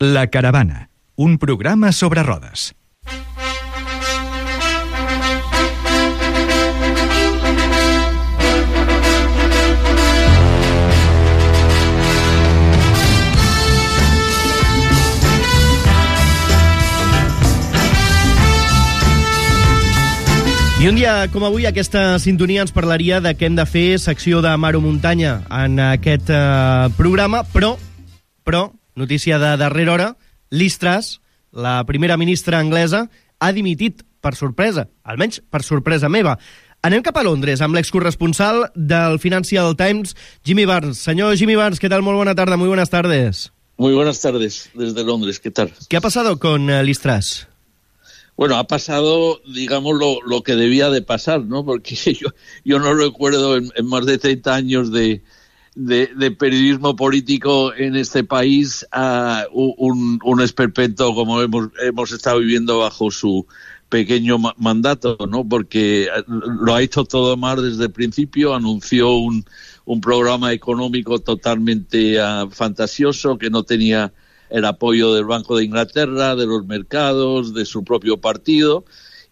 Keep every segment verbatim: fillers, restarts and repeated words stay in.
La Caravana, un programa sobre rodes. I un dia com avui aquesta sintonia ens parlaria de què hem de fer secció de Mar o Muntanya en aquest eh, programa, però, però, notícia de darrera hora, Liz Truss, la primera ministra anglesa, ha dimitit per sorpresa, almenys per sorpresa meva. Anem cap a Londres amb l'excorresponsal del Financial Times, Jimmy Barnes. Senyor Jimmy Barnes, ¿qué tal? Muy buena tarde, muy buenas tardes. Muy buenas tardes desde Londres, ¿qué tal? ¿Qué ha pasado con uh, Liz Truss? Bueno, ha pasado, digamos, lo, lo que debía de pasar, ¿no? Porque yo, yo no recuerdo en, en más de treinta años de, de, de periodismo político en este país a un, un esperpento como hemos, hemos estado viviendo bajo su pequeño ma- mandato, ¿no? Porque lo ha hecho todo mal desde el principio, anunció un, un programa económico totalmente uh, fantasioso que no tenía el apoyo del Banco de Inglaterra, de los mercados, de su propio partido,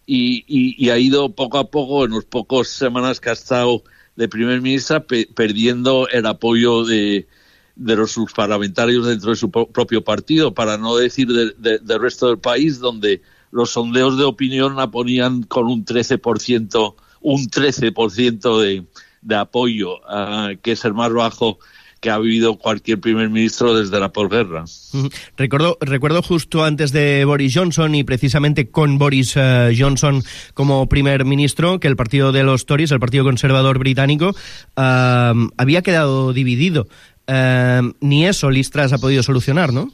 y, y, y ha ido poco a poco, en las pocas semanas que ha estado de primer ministra, pe- perdiendo el apoyo de, de los sus parlamentarios dentro de su pro- propio partido, para no decir de, de, del resto del país, donde los sondeos de opinión la ponían con un trece por ciento, un trece por ciento de, de apoyo, uh, que es el más bajo que ha vivido cualquier primer ministro desde la posguerra. Recuerdo, recuerdo justo antes de Boris Johnson y precisamente con Boris uh, Johnson como primer ministro que el partido de los Tories, el partido conservador británico, uh, había quedado dividido. Uh, ni eso Liz Truss ha podido solucionar, ¿no?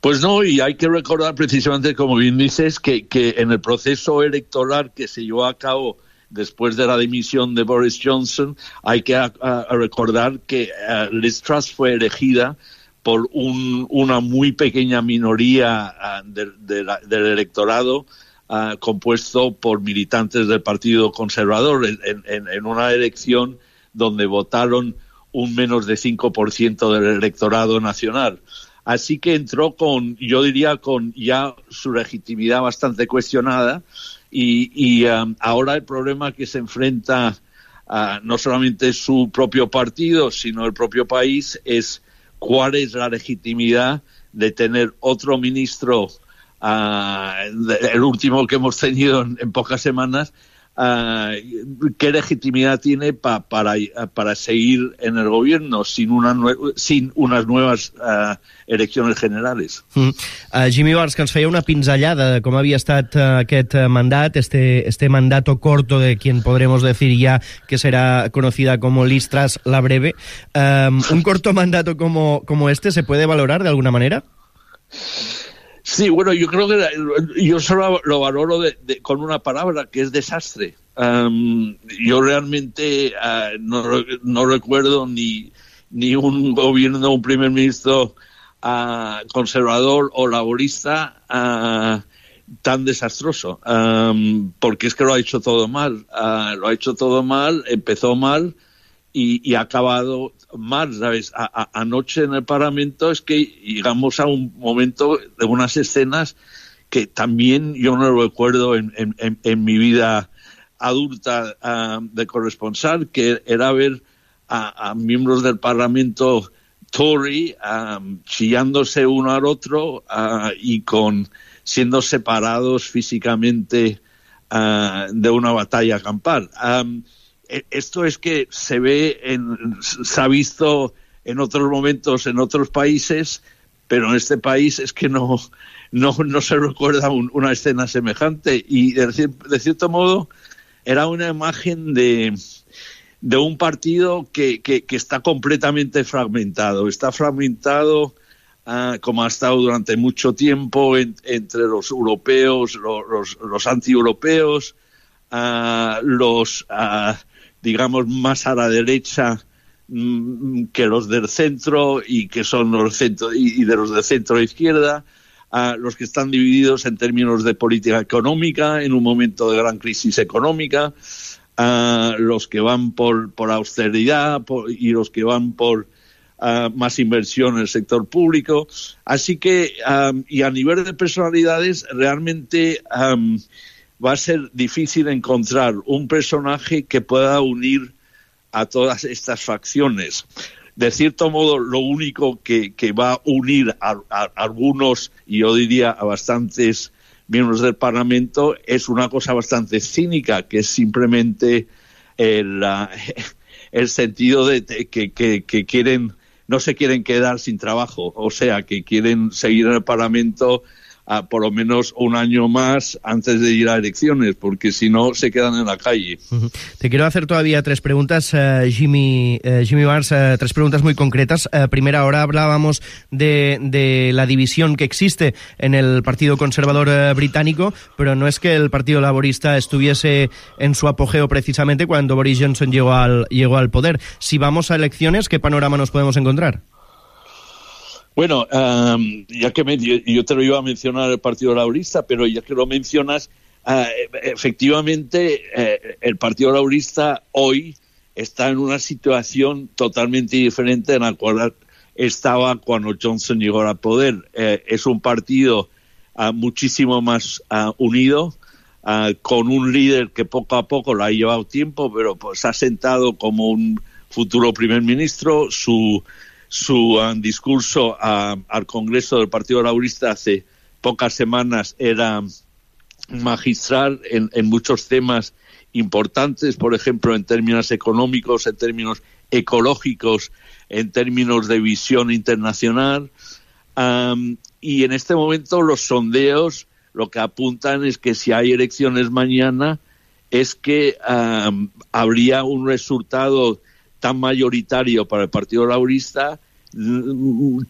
Pues no, y hay que recordar precisamente, como bien dices, que, que en el proceso electoral que se llevó a cabo después de la dimisión de Boris Johnson, hay que a, a recordar que uh, Liz Truss fue elegida por un, una muy pequeña minoría uh, de, de la, del electorado uh, compuesto por militantes del Partido Conservador en, en, en una elección donde votaron un menos de cinco por ciento del electorado nacional. Así que entró con, yo diría, con ya su legitimidad bastante cuestionada. Y, y um, ahora el problema que se enfrenta uh, no solamente su propio partido, sino el propio país, es cuál es la legitimidad de tener otro ministro, uh, el último que hemos tenido en, en pocas semanas, uh, qué legitimidad tiene pa, para, para seguir en el gobierno sin, una nue- sin unas nuevas uh, elecciones generales. Mm. Uh, Jimmy Barnes, que ens feia una pinzellada de com havia estat uh, aquest uh, mandat, este, este mandato corto de quien podremos decir ya que será conocida como Liz Truss la breve. Um, ¿Un corto mandato como, como este se puede valorar de alguna manera? Sí, bueno, yo creo que yo solo lo valoro de, de, con una palabra, que es desastre. Um, yo realmente uh, no, no recuerdo ni, ni un gobierno, un primer ministro uh, conservador o laborista uh, tan desastroso, um, porque es que lo ha hecho todo mal. Uh, lo ha hecho todo mal, empezó mal y, y ha acabado mal, ¿sabes? A, a, anoche en el Parlamento es que llegamos a un momento de unas escenas que también yo no recuerdo en, en, en mi vida adulta uh, de corresponsal, que era ver a, a miembros del Parlamento Tory um, chillándose uno al otro uh, y con siendo separados físicamente uh, de una batalla campal. Um, Esto es que se ve, en, se ha visto en otros momentos en otros países, pero en este país es que no, no, no se recuerda un, una escena semejante. Y de, de cierto modo era una imagen de, de un partido que, que, que está completamente fragmentado. Está fragmentado uh, como ha estado durante mucho tiempo en, entre los europeos, los, los, los anti-europeos, uh, los... Uh, digamos, más a la derecha mmm, que los del centro y que son los centro y, y de los de centro izquierda, uh, los que están divididos en términos de política económica en un momento de gran crisis económica, uh, los que van por, por austeridad por, y los que van por uh, más inversión en el sector público. Así que, um, y a nivel de personalidades, realmente um, va a ser difícil encontrar un personaje que pueda unir a todas estas facciones. De cierto modo, lo único que, que va a unir a, a, a algunos, y yo diría a bastantes miembros del Parlamento, es una cosa bastante cínica, que es simplemente el, uh, el sentido de, de que, que, que quieren, no se quieren quedar sin trabajo, o sea, que quieren seguir en el Parlamento a por lo menos un año más antes de ir a elecciones, porque si no se quedan en la calle. Uh-huh. Te quiero hacer todavía tres preguntas, uh, Jimmy, uh, Jimmy Barnes, uh, tres preguntas muy concretas. Uh, primera, ahora hablábamos de, de la división que existe en el Partido Conservador uh, británico, pero no es que el Partido Laborista estuviese en su apogeo precisamente cuando Boris Johnson llegó al, llegó al poder. Si vamos a elecciones, ¿qué panorama nos podemos encontrar? Bueno, um, ya que me, yo, yo te lo iba a mencionar el Partido Laborista, pero ya que lo mencionas, uh, efectivamente eh, el Partido Laborista hoy está en una situación totalmente diferente en la cual estaba cuando Johnson llegó al poder. Eh, es un partido uh, muchísimo más uh, unido, uh, con un líder que poco a poco lo ha llevado tiempo, pero pues ha sentado como un futuro primer ministro. Su Su um, discurso uh, al Congreso del Partido Laborista hace pocas semanas era magistral en, en muchos temas importantes, por ejemplo, en términos económicos, en términos ecológicos, en términos de visión internacional. Um, y en este momento los sondeos lo que apuntan es que si hay elecciones mañana es que um, habría un resultado tan mayoritario para el Partido Laborista,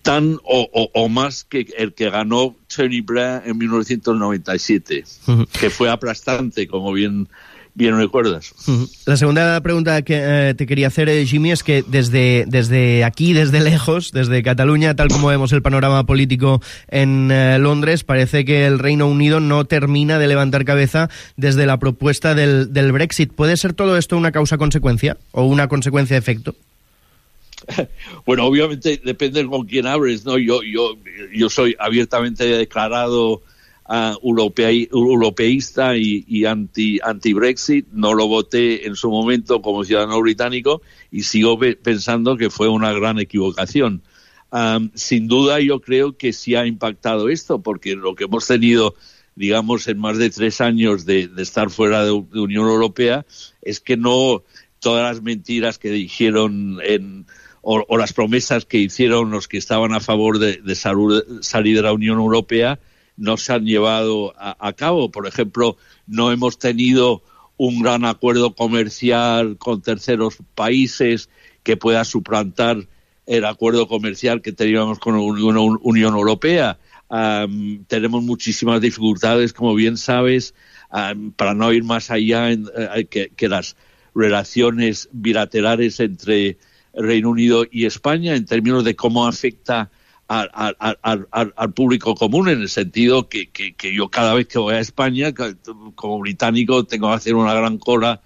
tan o, o, o más que el que ganó Tony Blair en mil novecientos noventa y siete, uh-huh. que fue aplastante, como bien bien recuerdas. Uh-huh. La segunda pregunta que eh, te quería hacer, eh, Jimmy, es que desde, desde aquí, desde lejos, desde Cataluña, tal como vemos el panorama político en eh, Londres, parece que el Reino Unido no termina de levantar cabeza desde la propuesta del, del Brexit. ¿Puede ser todo esto una causa-consecuencia o una consecuencia-efecto? Bueno, obviamente depende con quién hables, ¿no? Yo, yo, yo soy abiertamente declarado Uh, europei, europeísta y, y anti, anti-Brexit. No lo voté en su momento como ciudadano británico y sigo pe- pensando que fue una gran equivocación. Um, sin duda yo creo que sí ha impactado esto, porque lo que hemos tenido, digamos, en más de tres años de, de estar fuera de, de Unión Europea es que no todas las mentiras que dijeron en, o, o las promesas que hicieron los que estaban a favor de, de salud, salir de la Unión Europea no se han llevado a, a cabo. Por ejemplo, no hemos tenido un gran acuerdo comercial con terceros países que pueda suplantar el acuerdo comercial que teníamos con la Unión, Unión Europea. Um, tenemos muchísimas dificultades, como bien sabes, um, para no ir más allá en, uh, que, que las relaciones bilaterales entre el Reino Unido y España en términos de cómo afecta Al, al, al, al, al público común, en el sentido que, que, que yo cada vez que voy a España, como británico, tengo que hacer una gran cola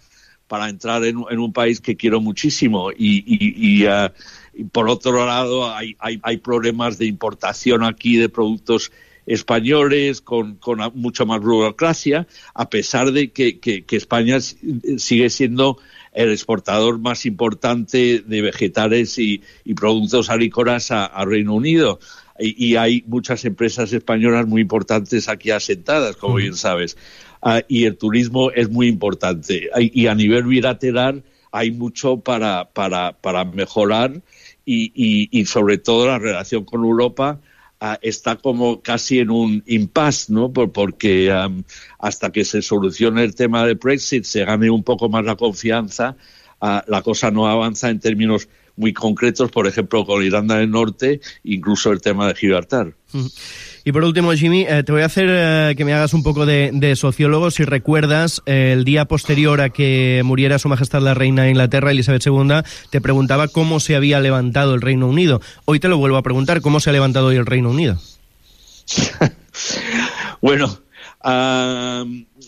para entrar en, en un país que quiero muchísimo. Y, y, y, uh, y por otro lado, hay, hay, hay problemas de importación aquí de productos españoles con, con mucha más burocracia, a pesar de que, que, que España sigue siendo el exportador más importante de vegetales y, y productos agrícolas a, a Reino Unido. Y, y hay muchas empresas españolas muy importantes aquí asentadas, como bien sabes. Uh, y el turismo es muy importante. Y a nivel bilateral hay mucho para, para, para mejorar y, y, y sobre todo la relación con Europa Uh, está como casi en un impasse, ¿no? Por, porque um, hasta que se solucione el tema del Brexit, se gane un poco más la confianza, uh, la cosa no avanza en términos muy concretos, por ejemplo, con Irlanda del Norte, incluso el tema de Gibraltar. Mm. Y por último, Jimmy, eh, te voy a hacer eh, que me hagas un poco de, de sociólogo. Si recuerdas, eh, el día posterior a que muriera Su Majestad la Reina de Inglaterra, Elizabeth segunda, te preguntaba cómo se había levantado el Reino Unido. Hoy te lo vuelvo a preguntar, ¿cómo se ha levantado hoy el Reino Unido? Bueno, uh,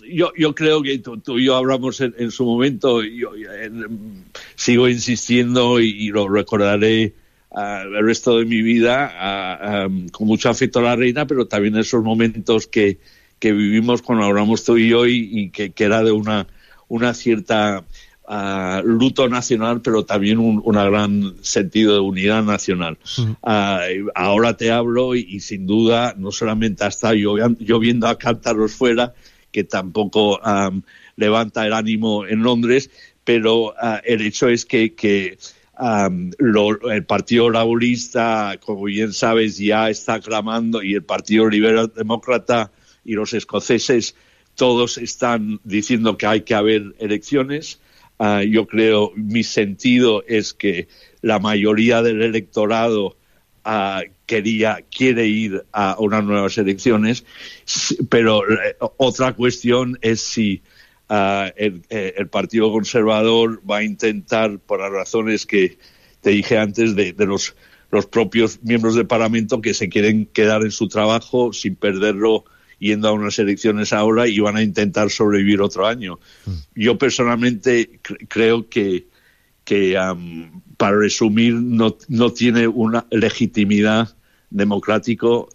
yo, yo creo que tú, tú y yo hablamos en, en su momento, yo en, sigo insistiendo y, y lo recordaré uh, el resto de mi vida uh, um, con mucho afecto a la reina, pero también esos momentos que, que vivimos cuando hablamos tú y yo y, y que, que era de una, una cierta uh, luto nacional, pero también un una gran sentido de unidad nacional. Uh-huh. Uh, ahora te hablo y, y sin duda no solamente hasta yo, yo viendo a cántaros fuera, que tampoco um, levanta el ánimo en Londres, pero uh, el hecho es que, que um, lo, el Partido Laborista, como bien sabes, ya está clamando, y el Partido Liberal Demócrata y los escoceses, todos están diciendo que hay que haber elecciones. Uh, yo creo, mi sentido es que la mayoría del electorado Uh, quería, quiere ir a unas nuevas elecciones, pero eh, otra cuestión es si uh, el, el Partido Conservador va a intentar, por las razones que te dije antes, de, de los, los propios miembros del Parlamento que se quieren quedar en su trabajo sin perderlo yendo a unas elecciones ahora, y van a intentar sobrevivir otro año. Mm. Yo personalmente cr- creo que que, um, para resumir, no, no tiene una legitimidad democrática, uh,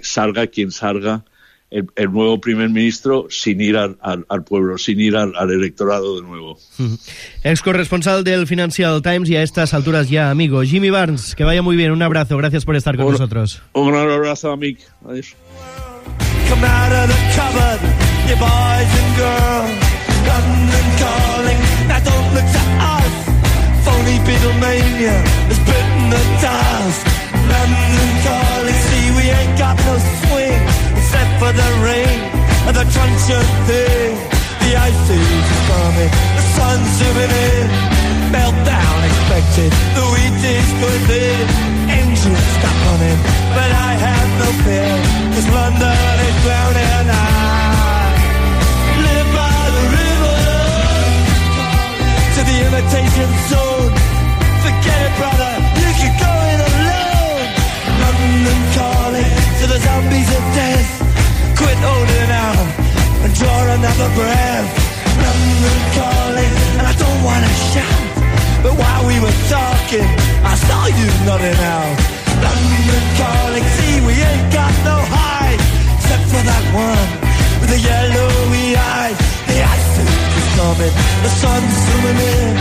salga quien salga el, el nuevo primer ministro, sin ir al, al, al pueblo, sin ir al, al electorado de nuevo. Uh-huh. Ex corresponsal del Financial Times y a estas alturas ya amigo. Jimmy Barnes, que vaya muy bien, un abrazo, gracias por estar con un, nosotros. Un gran abrazo, amigo. Adiós. Come out of the cupboard, you boys and girls, London calling, now don't look to us. Phony Beatlemania has bitten the dust. London calling, see we ain't got no swing, except for the rain and the crunch of thing. The ice age is coming, the sun's zooming in, meltdown expected, the wheat is good in. Engines stop running, but I have no fear, cause London is drowning. I live by the river to the imitation zone. Forget it, brother, you can go it alone. London calling to the zombies of death. Quit holding out and draw another breath. London calling, and I don't want to shout, but while we were talking, I saw you nodding out. London calling, see we ain't got no hide, except for that one with the yellowy eyes. The ice age is coming, the sun's zooming in,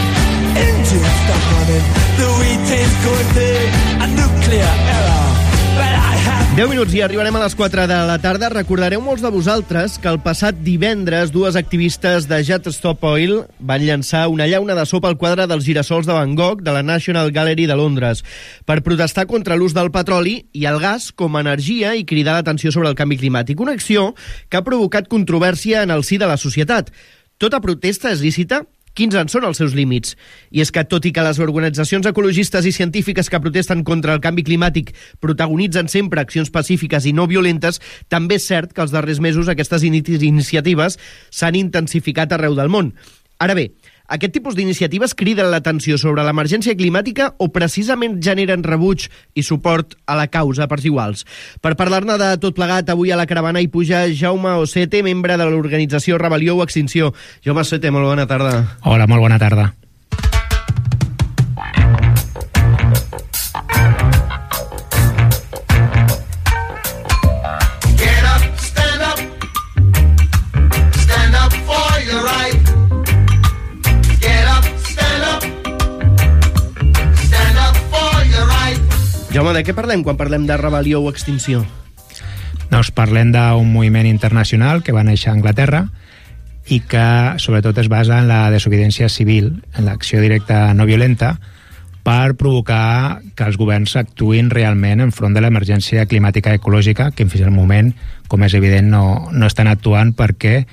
engines stop running, the wheat is going big, a nuclear error. deu minuts i arribarem a les quatre de la tarda. Recordareu molts de vosaltres que el passat divendres dues activistes de Just Stop Oil van llançar una llauna de sopa al quadre dels girassols de Van Gogh de la National Gallery de Londres per protestar contra l'ús del petroli i el gas com a energia i cridar l'atenció sobre el canvi climàtic. Una acció que ha provocat controvèrsia en el si de la societat. Tota protesta és lícita? Quins en són els seus límits? I és que, tot i que les organitzacions ecologistes i científiques que protesten contra el canvi climàtic protagonitzen sempre accions pacífiques i no violentes, també és cert que els darrers mesos aquestes iniciatives s'han intensificat arreu del món. Ara bé, aquest tipus d'iniciatives criden l'atenció sobre l'emergència climàtica o precisament generen rebuig i suport a la causa per iguals? Per parlar-ne de tot plegat, avui a la caravana hi puja Jaume Osete, membre de l'organització Rebel·lió o Extinció. Jaume Osete, molt bona tarda. Hola, molt bona tarda. Jaume, de què parlem quan parlem de rebel·lió o extinció? Doncs parlem d'un moviment internacional que va néixer a Anglaterra i que sobretot es basa en la desobediència civil, en l'acció directa no violenta, per provocar que els governs actuïn realment enfront de l'emergència climàtica i ecològica, que fins al moment, com és evident, no, no estan actuant perquè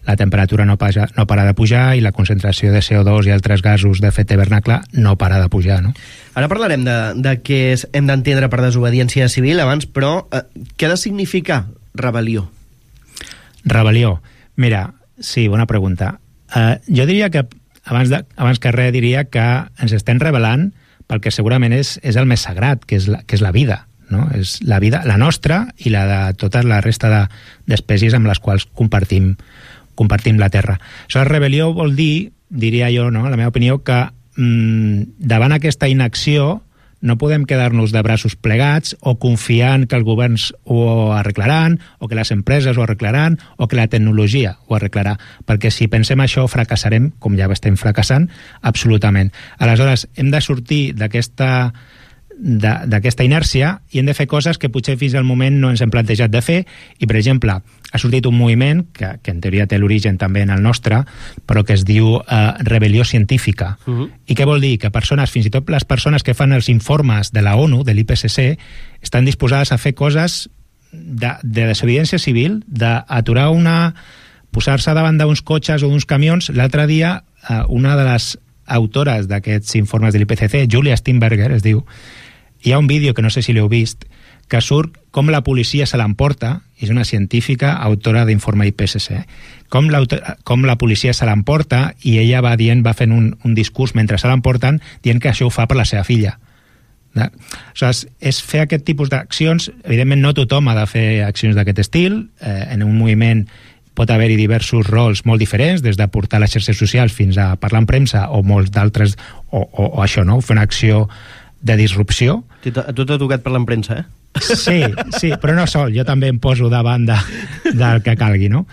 la temperatura no, paja, no para de pujar i la concentració de C O dos i altres gasos d'efecte hivernacle no para de pujar, no? Ara parlarem de, de què hem d'entendre per desobediència civil abans, però eh, què ha de significar rebel·lió? Rebel·lió. Mira, sí, bona pregunta. Eh, jo diria que, abans, de, abans que res, diria que ens estem rebel·lant pel que segurament és, és el més sagrat, que és la, que és la vida, no? És la vida, la nostra i la de tota la resta de, d'espècies amb les quals compartim compartim la Terra. Això de rebel·lió vol dir, diria jo, no, la meva opinió, que mmm, davant aquesta inacció no podem quedar-nos de braços plegats o confiant que els governs ho arreglaran, o que les empreses ho arreglaran, o que la tecnologia ho arreglarà, perquè si pensem això fracassarem, com ja estem fracassant, absolutament. Aleshores, hem de sortir d'aquesta d'aquesta inèrcia i hem de fer coses que potser fins al moment no ens hem plantejat de fer, i per exemple ha sortit un moviment que, que en teoria té l'origen també en el nostre, però que es diu eh, rebel·lió científica. Uh-huh. I què vol dir? Que persones, fins i tot les persones que fan els informes de la ONU, de l'I P C C, estan disposades a fer coses de, de desobediència civil, d'aturar una... posar-se davant d'uns cotxes o d'uns camions. L'altre dia eh, una de les autores d'aquests informes de l'I P C C, Julia Steinberger es diu, hi ha un vídeo que no sé si l'heu vist, que surt com la policia se l'emporta, és una científica autora d'informe I P C C, com, com la policia se l'emporta, i ella va dient, va fent un, un discurs mentre se l'emporten, dient que això ho fa per la seva filla. Aleshores, és fer aquest tipus d'accions. Evidentment no tothom ha de fer accions d'aquest estil, eh, en un moviment pot haver-hi diversos rols molt diferents, des de portar les xarxes socials fins a parlar en premsa, o molts d'altres, o, o, o això, no? Fer una acció de disrupció. A tu t'ha tocat parlar en premsa, eh? Sí, sí, però no sol, jo també em poso davant de, del que calgui, no?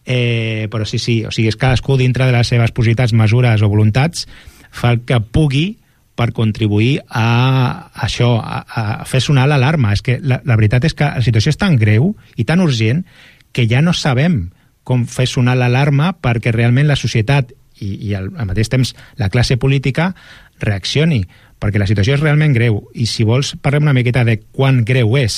Eh, però sí, sí, o sigui, és cadascú dintre de les seves possibilitats, mesures o voluntats fa el que pugui per contribuir a això, a, a fer sonar l'alarma. És que la, la veritat és que la situació és tan greu i tan urgent que ja no sabem com fer sonar l'alarma perquè realment la societat i, i al, al mateix temps la classe política reaccioni, perquè la situació és realment greu, i si vols parlem una miqueta de quan greu és.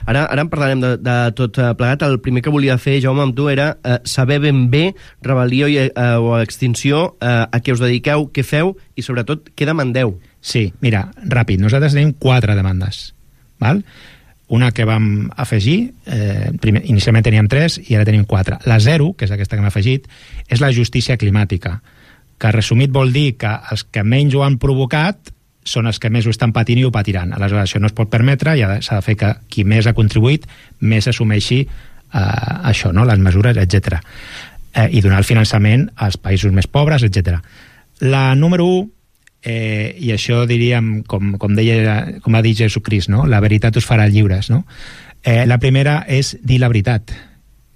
Ara, ara en parlarem de, de tot plegat. El primer que volia fer, Jaume, amb tu era eh, saber ben bé rebel·lió i, eh, o extinció, eh, a què us dediqueu, què feu i sobretot què demandeu. Sí, mira, ràpid, nosaltres tenim quatre demandes, val? Una que vam afegir, eh, primer, inicialment teníem tres i ara tenim quatre. La zero, que és aquesta que hem afegit, és la justícia climàtica, que resumit vol dir que els que menys ho han provocat són els que més ho estan patint i ho patiran. Aleshores, això no es pot permetre i s'ha de fer que qui més ha contribuït més assumeixi eh, això, no? Les mesures, etcètera. Eh, I donar el finançament als països més pobres, etcètera. La número u, eh, i això diríem, com, com, deia, com va dir Jesucrist, no? La veritat us farà lliures, no? Eh, la primera és dir la veritat,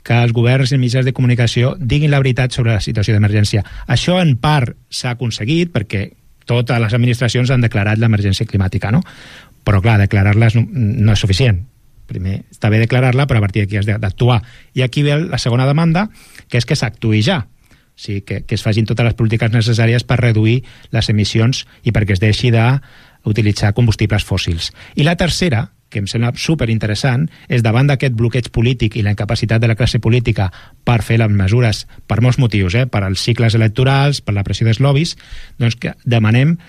que els governs i mitjans de comunicació diguin la veritat sobre la situació d'emergència. Això en part s'ha aconseguit perquè totes les administracions han declarat l'emergència climàtica, no? Però clar, declarar-les no, no és suficient. Primer està bé declarar-la, però a partir d'aquí has d'actuar. I aquí ve la segona demanda, que és que s'actuï ja. O sigui, que, que es facin totes les polítiques necessàries per reduir les emissions i perquè es deixi d'utilitzar combustibles fòssils. I la tercera, que em sembla superinteressant, és davant d'aquest bloqueig polític i la incapacitat de la classe política per fer les mesures, per molts motius, eh? Per als cicles electorals, per la pressió dels lobbies, doncs que demanem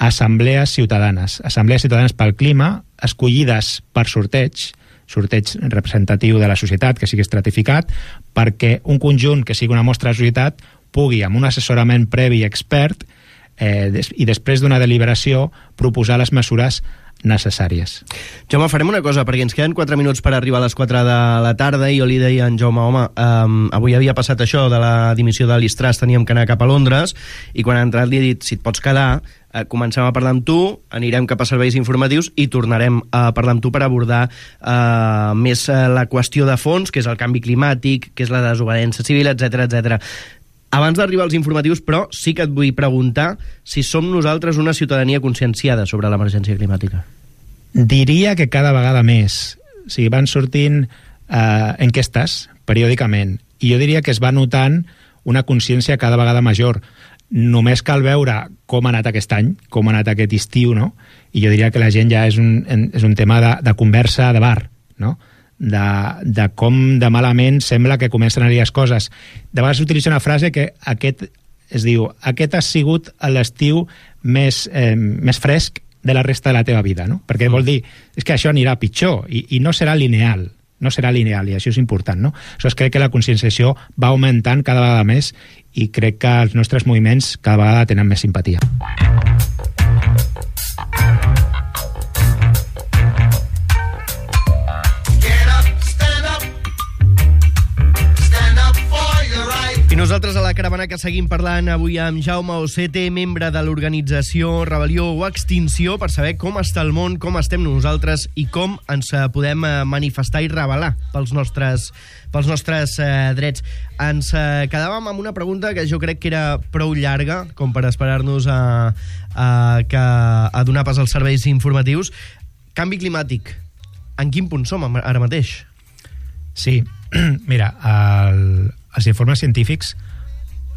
assemblees ciutadanes, assemblees ciutadanes pel clima, escollides per sorteig, sorteig representatiu de la societat, que sigui estratificat, perquè un conjunt que sigui una mostra de societat pugui, amb un assessorament previ expert, eh, des, i després d'una deliberació, proposar les mesures necessàries. Jaume, farem una cosa, perquè ens queden quatre minuts per arribar a les quatre de la tarda i jo li deia a en Jaume, home, um, avui havia passat això de la dimissió de l'I S T R A S, teníem que anar cap a Londres, i quan ha entrat li he dit, si et pots quedar, eh, comencem a parlar amb tu, anirem cap a serveis informatius i tornarem a parlar amb tu per abordar eh, més eh, la qüestió de fons, que és el canvi climàtic, que és la desobediència civil, etcètera, etcètera. Abans d'arribar als informatius, però, sí que et vull preguntar si som nosaltres una ciutadania conscienciada sobre l'emergència climàtica. Diria que cada vegada més. O sigui, van sortint eh, enquestes periòdicament, i jo diria que es va notant una consciència cada vegada major. Només cal veure com ha anat aquest any, com ha anat aquest estiu, no? I jo diria que la gent ja és un, és un tema de, de conversa de bar, no? De, de com de malament sembla que comencen a anar les coses. De vegades s'utilitza una frase que aquest, es diu, aquest ha sigut l'estiu més, eh, més fresc de la resta de la teva vida, no? Perquè mm. vol dir, és que això anirà pitjor i, i no serà lineal, no serà lineal, i això és important, no? Aleshores, crec que la conscienciació va augmentant cada vegada més i crec que els nostres moviments cada vegada tenen més simpatia. I Nosaltres a la caravana que seguim parlant avui amb Jaume Ocete, membre de l'organització Rebel·lió o Extinció, per saber com està el món, com estem nosaltres i com ens podem manifestar i rebel·lar pels nostres, pels nostres eh, drets. Ens eh, quedàvem amb una pregunta que jo crec que era prou llarga, com per esperar-nos a, a, que, a donar pas als serveis informatius. Canvi climàtic. En quin punt som ara mateix? Sí, mira, el, els informes científics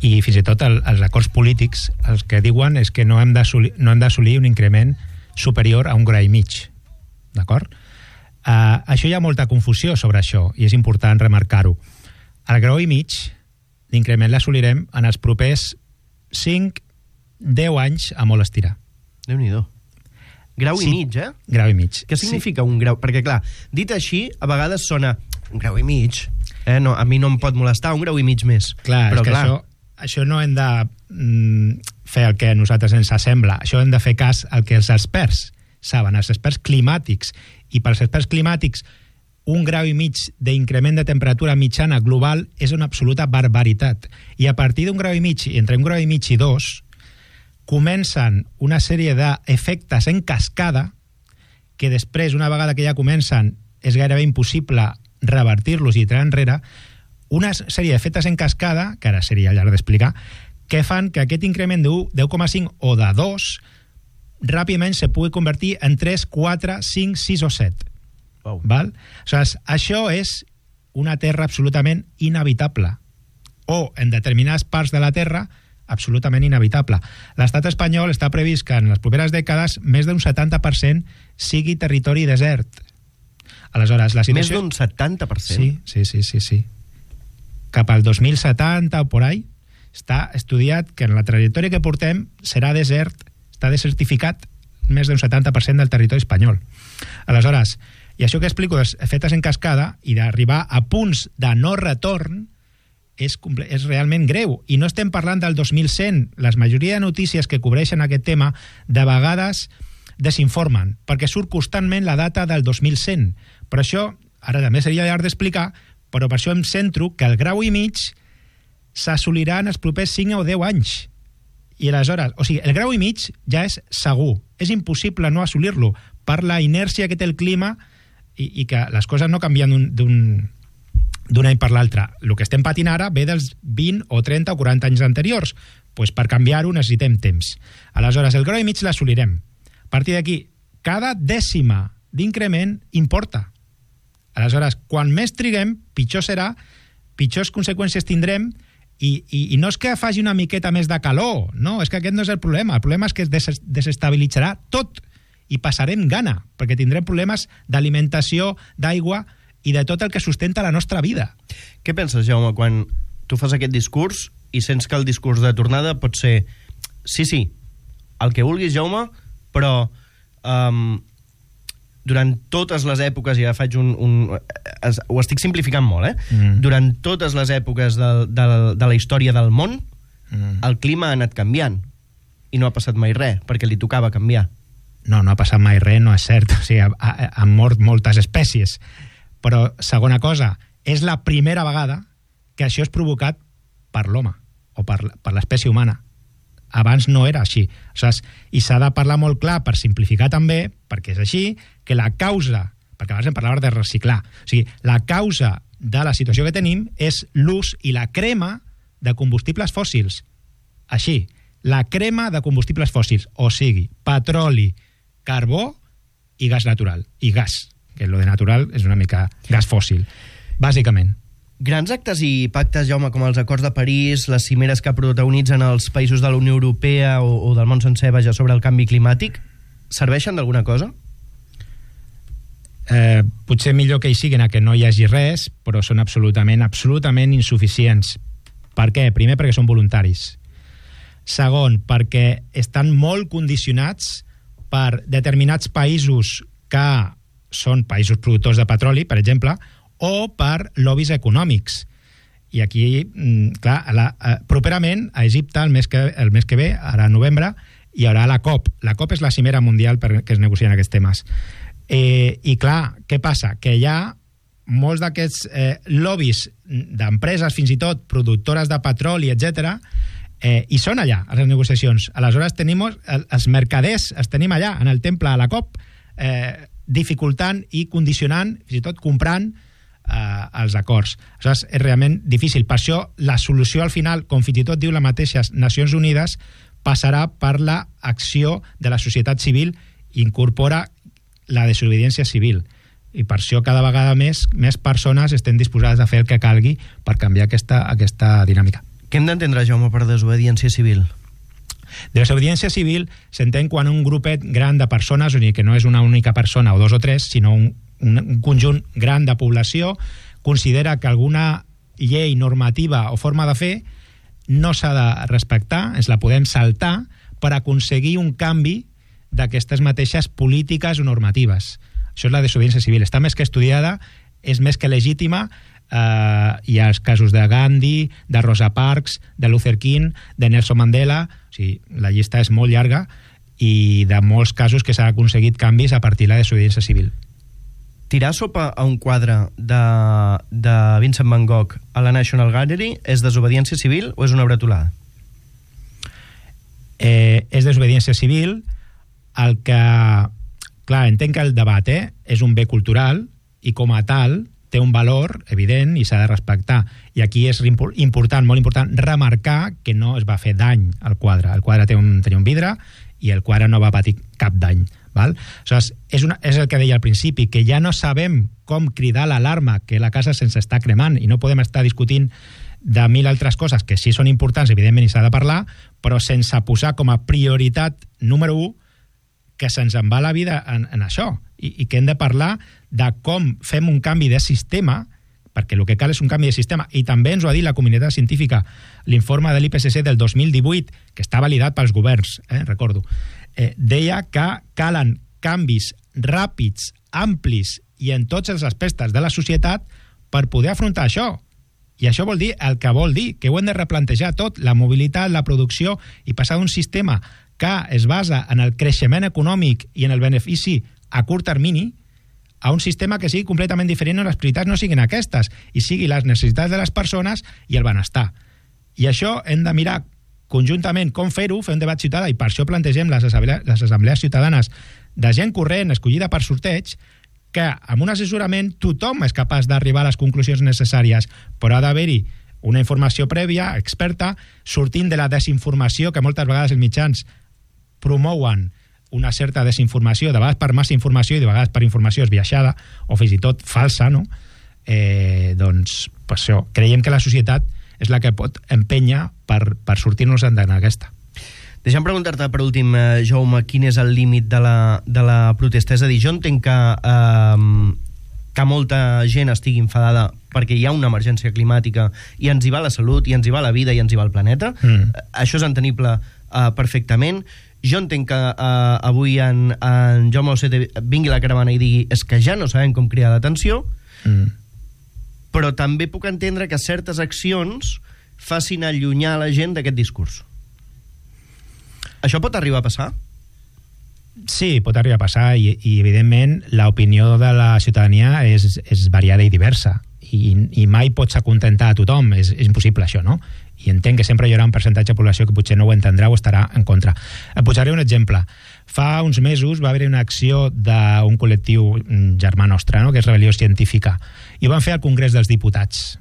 i fins i tot el, els acords polítics els que diuen és que no hem d'assolir no hem d'assolir un increment superior a un grau i mig, d'acord? Uh, això hi ha molta confusió sobre això i és important remarcar-ho. El grau i mig l'increment l'assolirem en els propers cinc a deu anys a molt estirar. Déu-n'hi-do. Grau sí, i mig, eh? Grau i mig. Què significa sí. un grau? Perquè, clar, dit així, a vegades sona un grau i mig. Eh? No, a mi no em pot molestar, un grau i mig més. Clar, però, és que clar, això, això no hem de mm, fer el que a nosaltres ens sembla. Això hem de fer cas al que els experts saben, els experts climàtics. I pels experts climàtics, un grau i mig d'increment de temperatura mitjana global és una absoluta barbaritat. I a partir d'un grau i mig, entre un grau i mig i dos, comencen una sèrie d'efectes en cascada que després, una vegada que ja comencen, és gairebé impossible revertir-los i tirar enrere, una sèrie d'efectes en cascada, que ara seria llarg d'explicar, que fan que aquest increment de deu coma cinc o de dos ràpidament se pugui convertir en tres, quatre, cinc, sis o set. Wow. Val? Aleshores, això és una terra absolutament inhabitable. O, en determinades parts de la terra, absolutament inhabitable. L'estat espanyol està previst que en les properes dècades més d'un setanta per cent sigui territori desert. Aleshores, la situació... Més d'un setanta per cent? Sí, sí, sí, sí, sí. Cap al dos mil setanta o por ahí està estudiat que en la trajectòria que portem serà desert, està desertificat més d'un setanta per cent del territori espanyol. Aleshores, i això que explico dels efectes en cascada i d'arribar a punts de no retorn és, és realment greu. I no estem parlant del dos mil cent. La majoria de notícies que cobreixen aquest tema de vegades desinformen, perquè surt constantment la data del dos mil cent. Per això, ara també seria llarg d'explicar, però per això em centro que el grau i mig s'assolirà en els propers cinc o deu anys. I aleshores, o sigui, el grau i mig ja és segur. És impossible no assolir-lo per la inèrcia que té el clima i, i que les coses no canvien d'un d'un any per l'altre. El que estem patint ara ve dels vint o trenta o quaranta anys anteriors. Pues per canviar-ho necessitem temps. Aleshores, el grau i mig l'assolirem. A partir d'aquí, cada dècima d'increment importa. Aleshores, quan més triguem, pitjor serà, pitjors conseqüències tindrem i, i, i no és que faci una miqueta més de calor, no, és que aquest no és el problema. El problema és que es des desestabilitzarà tot i passarem gana, perquè tindrem problemes d'alimentació, d'aigua i de tot el que sustenta la nostra vida. Què penses, Jaume, quan tu fas aquest discurs i sents que el discurs de tornada pot ser sí, sí, el que vulguis, Jaume, però um, durant totes les èpoques, i ja faig un... un es, ho estic simplificant molt, eh? Mm. Durant totes les èpoques de, de, de la història del món, mm. el clima ha anat canviant i no ha passat mai res, perquè li tocava canviar. No, no ha passat mai res, no és cert. O sigui, han mort moltes espècies. Però, segona cosa, és la primera vegada que això és provocat per l'home o per, per l'espècie humana. Abans no era així. Aleshores, i s'ha de parlar molt clar, per simplificar també, perquè és així, que la causa, perquè abans em parlava de reciclar, o sigui, la causa de la situació que tenim és l'ús i la crema de combustibles fòssils. Així, la crema de combustibles fòssils, o sigui, petroli, carbó i gas natural, i gas, que lo de natural és una mica gas fòssil, bàsicament. Grans actes i pactes, Jaume, com els acords de París, les cimeres que protagonitzen els països de la Unió Europea o, o del món sencer, vaja, sobre el canvi climàtic, serveixen d'alguna cosa? Eh, potser millor que hi siguin a que no hi hagi res, però són absolutament, absolutament insuficients. Per què? Primer, perquè són voluntaris. Segon, perquè estan molt condicionats per determinats països que són països productors de petroli, per exemple, o per lobbies econòmics. I aquí, clar, la, eh, properament a Egipte, el mes, que, el mes que ve, ara a novembre, hi haurà la COP. La COP és la cimera mundial per que es negocien aquests temes. Eh, I clar, què passa? Que hi ha molts d'aquests eh, lobbies d'empreses, fins i tot productores de petroli, etcètera, eh, i són allà, a les negociacions. Aleshores, tenim els mercaders, els tenim allà, en el temple, a la COP, eh, dificultant i condicionant, fins i tot comprant eh, els acords. Aleshores, és realment difícil. Per això, la solució al final, com fins i tot diu la mateixa Nacions Unides, passarà per l'acció de la societat civil i incorpora la desobediència civil. I per això cada vegada més més persones estem disposades a fer el que calgui per canviar aquesta, aquesta dinàmica. Què hem d'entendre, Jaume, per desobediència civil? Desobediència civil s'entén quan un grupet gran de persones, o sigui que no és una única persona o dos o tres, sinó un, un, un conjunt gran de població, considera que alguna llei, normativa o forma de fer no s'ha de respectar, ens la podem saltar per aconseguir un canvi d'aquestes mateixes polítiques o normatives. Això és la desobediència civil. Està més que estudiada, és més que legítima. Eh, hi ha els casos de Gandhi, de Rosa Parks, de Luther King, de Nelson Mandela. O sigui, la llista és molt llarga i de molts casos que s'ha aconseguit canvis a partir de la desobediència civil. Tirar sopa a un quadre de, de Vincent Van Gogh a la National Gallery és desobediència civil o és una bretolada? Eh, és desobediència civil. El que... Clar, entenc que el debat eh, és un bé cultural i com a tal té un valor evident i s'ha de respectar. I aquí és important, molt important, remarcar que no es va fer dany al quadre. El quadre té un, tenia un vidre i el quadre no va patir cap dany. Val? Aleshores, és, una, és el que deia al principi, que ja no sabem com cridar l'alarma, que la casa se'ns està cremant i no podem estar discutint de mil altres coses que sí són importants, evidentment, i s'ha de parlar, però sense posar com a prioritat número u que se'ns en va la vida en, en això i, i que hem de parlar de com fem un canvi de sistema, perquè el que cal és un canvi de sistema, i també ens ho ha dit la comunitat científica, l'informe de l'I P C C del dos mil divuit, que està validat pels governs, eh, recordo, eh, deia que calen canvis ràpids, amplis i en tots els aspectes de la societat per poder afrontar això. I això vol dir el que vol dir, que ho hem de replantejar tot, la mobilitat, la producció, i passar d'un sistema que es basa en el creixement econòmic i en el benefici a curt termini a un sistema que sigui completament diferent on les prioritats no siguin aquestes i sigui les necessitats de les persones i el benestar. I això hem de mirar conjuntament com fer-ho, fer un debat ciutadà, i per això plantegem les assemblees, les assemblees ciutadanes de gent corrent, escollida per sorteig, que amb un assessorament tothom és capaç d'arribar a les conclusions necessàries, però ha d'haver-hi una informació prèvia, experta, sortint de la desinformació que moltes vegades els mitjans promouen una certa desinformació, de vegades per massa informació i de vegades per informació esbiaixada o fins i tot falsa, no? Eh, doncs, per això, creiem que la societat és la que pot empènyer per, per sortir-nos en aquesta. Deixa'm preguntar-te per últim, eh, Jaume, quin és el límit de la, de la protesta? És a dir, jo entenc que, eh, que molta gent estigui enfadada perquè hi ha una emergència climàtica i ens hi va la salut, i ens hi va la vida, i ens hi va el planeta. Mm. Això és entenible eh, perfectament. Jo entenc que uh, avui en, en Jaume Ocete vingui la caravana i digui és que ja no sabem com cridar l'atenció, mm. però també puc entendre que certes accions facin allunyar la gent d'aquest discurs. Això pot arribar a passar? Sí, pot arribar a passar i, i evidentment l'opinió de la ciutadania és, és variada i diversa i, i mai pots acontentar a tothom, és, és impossible això, no? I entenc que sempre hi haurà un percentatge de població que potser no ho entendrà o estarà en contra. Et posaré un exemple. Fa uns mesos va haver una acció d'un col·lectiu germà nostre, no?, que és Rebel·lió Científica, i ho van fer al Congrés dels Diputats,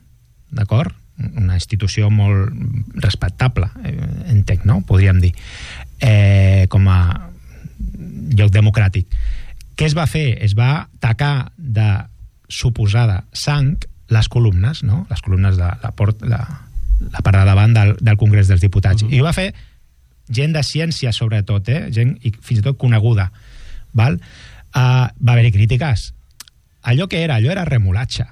d'acord? Una institució molt respectable, eh, entenc, no?, podríem dir, eh, com a lloc democràtic. Què es va fer? Es va tacar de suposada sang les columnes, no?, les columnes de la porta... La, la part de davant del, del Congrés dels Diputats. Uh -huh. I ho va fer gent de ciència, sobretot, eh? Gent i fins i tot coneguda. Val? Uh, va haver-hi crítiques. Allò que era, allò era remolatge.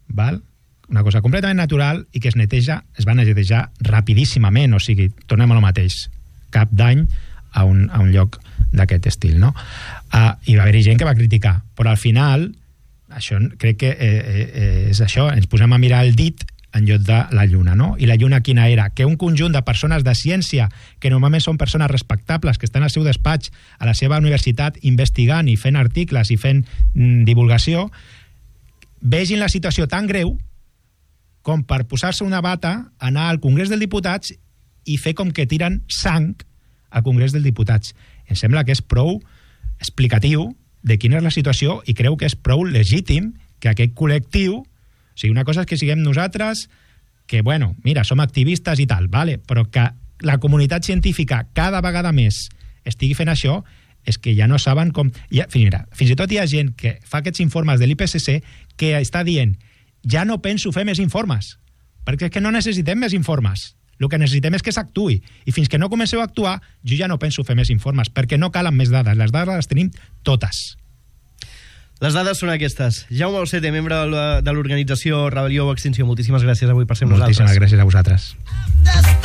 Val? Una cosa completament natural i que es neteja, es va netejar rapidíssimament, o sigui, tornem a lo mateix. Cap dany a un, a un lloc d'aquest estil, no? Uh, I va haver-hi gent que va criticar, però al final, això crec que eh, eh, és això, ens posem a mirar el dit en lloc de la lluna, no? I la lluna quina era? Que un conjunt de persones de ciència, que normalment són persones respectables, que estan al seu despatx, a la seva universitat, investigant i fent articles i fent mm, divulgació, vegin la situació tan greu com per posar-se una bata, anar al Congrés dels Diputats i fer com que tiren sang al Congrés dels Diputats. Em sembla que és prou explicatiu de quina és la situació i creu que és prou legítim que aquest col·lectiu, o sigui, una cosa és que siguem nosaltres, que, bueno, mira, som activistes i tal, vale? Però que la comunitat científica cada vegada més estigui fent això, és que ja no saben com... Ja, mira, fins i tot hi ha gent que fa aquests informes de l'I P C C que està dient ja no penso fer més informes, perquè és que no necessitem més informes. El que necessitem és que s'actuï. I fins que no comenceu a actuar, jo ja no penso fer més informes, perquè no calen més dades. Les dades les tenim totes. Les dades són aquestes. Jaume Balsete, membre de l'organització Rebel·lió o Extinció, moltíssimes gràcies avui per ser amb nosaltres. Moltíssimes gràcies a vosaltres.